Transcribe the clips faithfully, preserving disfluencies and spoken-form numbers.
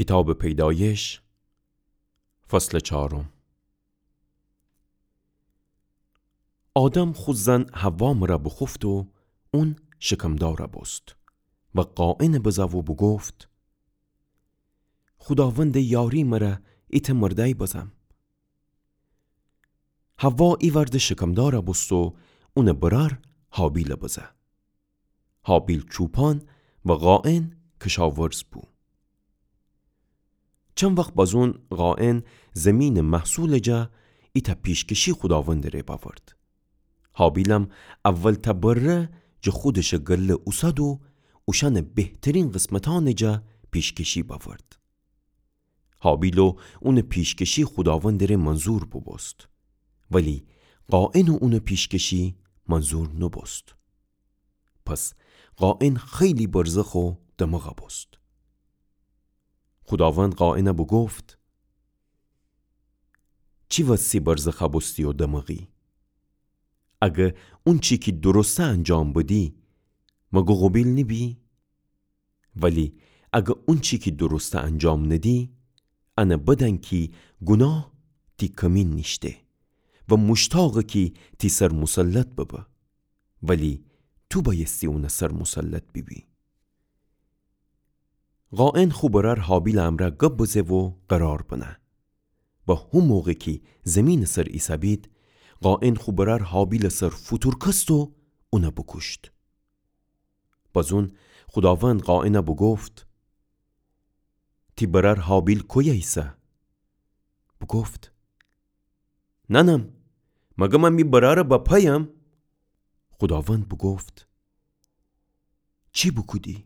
کیتابٚ پیدایش، فصلٚ چارم. آدم خو زن حوا مره بوخوفت و اون شکمدارَ بوست و قائنَ بزه و بوگفت: خوداوندٚ یاری مره ایتأ مردأی بزم. حوا ایوأرده شکمدارَ بوست و اونٚ برأر هابیلَ بزه. هابیل چوپان و قائن کشاورز بو. چند وخت بازون قائن زمینٚ محصولٚ جا ایتأ پیشکشی خوداوندٚ ره بأورد. هابیلم اولتأ بره جٚه خودشٚ گله اوسد و اوشأنٚ بهترین قسمتأنٚ جا پیشکشی بأورد. هابیل و اونٚ پیشکشی خوداوندٚ ره منظور بوبوست، ولی قائن و اونٚ پیشکشی منظور نوبوست. پس قائن خیلی برزخ و دمغ بوست. خوداوند قائنَ بوگفت: چی وسی برزخ بوستی و دمغی؟ اگه اونچی کی درسته انجام بدی، مگه قوبیل نیبی؟ ولی اگه اونچی کی درسته انجام ندی، انه بدأن کی گوناه تی کمین نیشته و موشتاقه کی تی سر مسلط ببه، ولی تو بأیستی اونٚ سر مسلط بیبی. قائن خو برأر هابیلٚ امرأ گب بزه و قرار بنه. و هو موقع کی زمینٚ سر ایسهبید، قائن خو برأر هابیلٚ سر فوتورکست و اونَ بوکوشت. بازون خوداوند قائنَ بوگفت: تی برأر هابیل کویه ایسه؟ بوگفت: نأنم، مگه من می برأرٚ بپایم؟ خوداوند بوگفت: چی بوکودی؟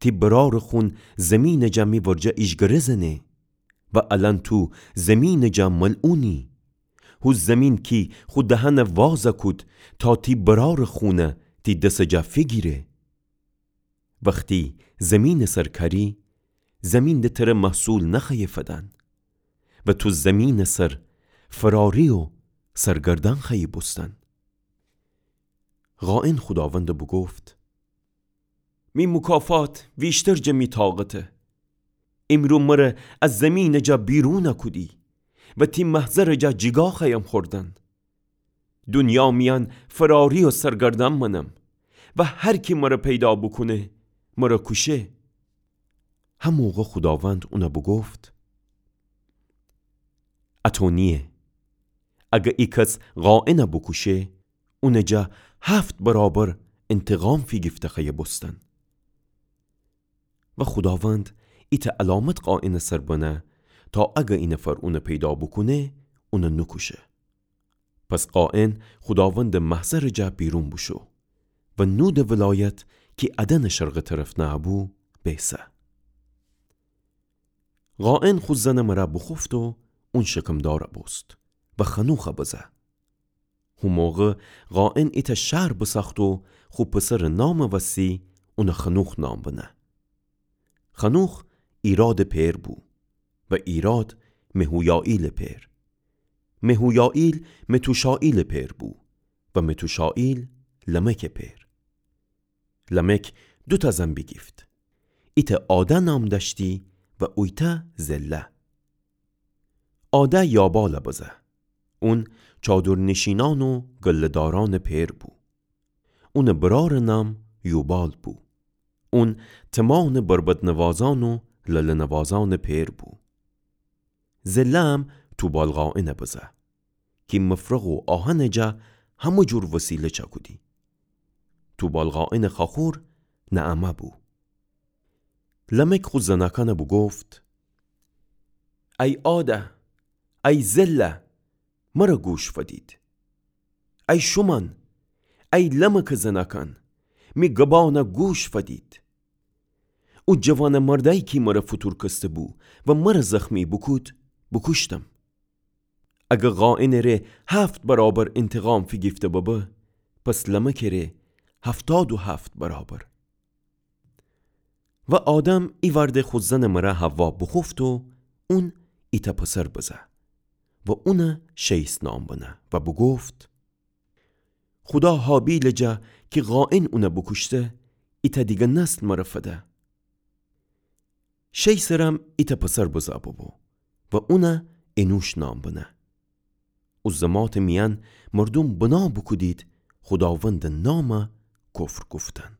تی برأرٚ خون زمینٚ جا می ورجه ایجگره زنه و الأن تو زمینٚ جا ملعونی. هو زمین کی خو دهنَ وازَ کود تا تی برأرٚ خونَ تی دسٚ جا فیگیره. وختی زمینٚ سر کأری، زمین د تره محصول نخوأیه فدن و تو زمینٚ سر فراری و سرگردأن خوأیی بوستن. قائن خوداوندَ بوگفت: می موکافات ویشتر جٚه می طاقته. ایمرو مره از زمینٚ جا بیرونَ کودی و تی محضرٚ جا جیگا خوأیم خوردن. دونیا میأن فراری و سرگردأن مأنم و هر کی مره پیدا بوکونه، مره کوشه. هموقع خوداوند اونَ بوگفت: اطو نییه. اگه ای کس قائنَ بوکوشه، اونٚ جا هفت برابر انتقام فیگیفته خوأیه بوستن. و خوداوند ایتأ علامت قائنٚ سر بنه تا اگه ای نفر اونَ پیدا بوکونه، اونَ نوکوشه. پس قائن خوداوندٚ محضرٚ جا بیرون بوشو و نودٚ ولایت کی عدنٚ شرقٚ طرف نهه‌بو، بیسه. قائن خو زنٚ مره بوخوفت و اون شکمدارَ بوست و خنوخَ بزه. هو موقع قائن ایتأ شهر بساخت و خو پسرٚ نامٚ وسی اونَ خنوخ نام بنه. خنوخ ایرادٚ پئر بو و ایراد مهویائیلٚ پئر. مهویائیل متوشائیلٚ پئر بو و متوشائیل لمکٚ پئر. لمک دوتأ زن بیگیفت. ایتأ عادأ نام دأشتی و اویتأ زلة. عادأ یابالَ بزه. اون چادرنشینأن و گله‌دارأنٚ پئر بو. اونٚ برأرٚ نام یوبال بو. اون تمأنٚ بربط‌نوازأن و لله‌نوازأنٚ پئر بو. زله‌م توبال قائنَ بزه کی مفرغ و آهنٚ جا همه جور وسیله چأکودی. توبال قائنٚ خواخور نعمه بو. لمک خو زنأکأنَ بوگفت: ای عادأ، ای زلة، مره گوش فدید. ای شومأن، ای لمکٚ زنأکأن، می گبأنَ گوش فدید. او جوانٚ مردأیی کی مره فوتورکسته بو و مره زخمی بوکود، بوکوشتم. اگه قائنٚ ره هفت برابر انتقام فیگیفته ببه، پس لمکٚ ره هفتاد و هفت برابر. و آدم ایوأرده خو زنٚ مره حوا بوخوفت و اون ایتأ پسر بزه و اونَ شیث نام بنه و بوگفت: خودا هابیلٚ جا کی قائن اونَ بوکوشته، ایتأ دیگه نسل مره فده. شی سرم ایتأ پسر بزا ببو و اونَ انوش نام بنه. او زماتٚ میأن مردوم بنا بوکودید خوداوندٚ نامَ کفر گفتن.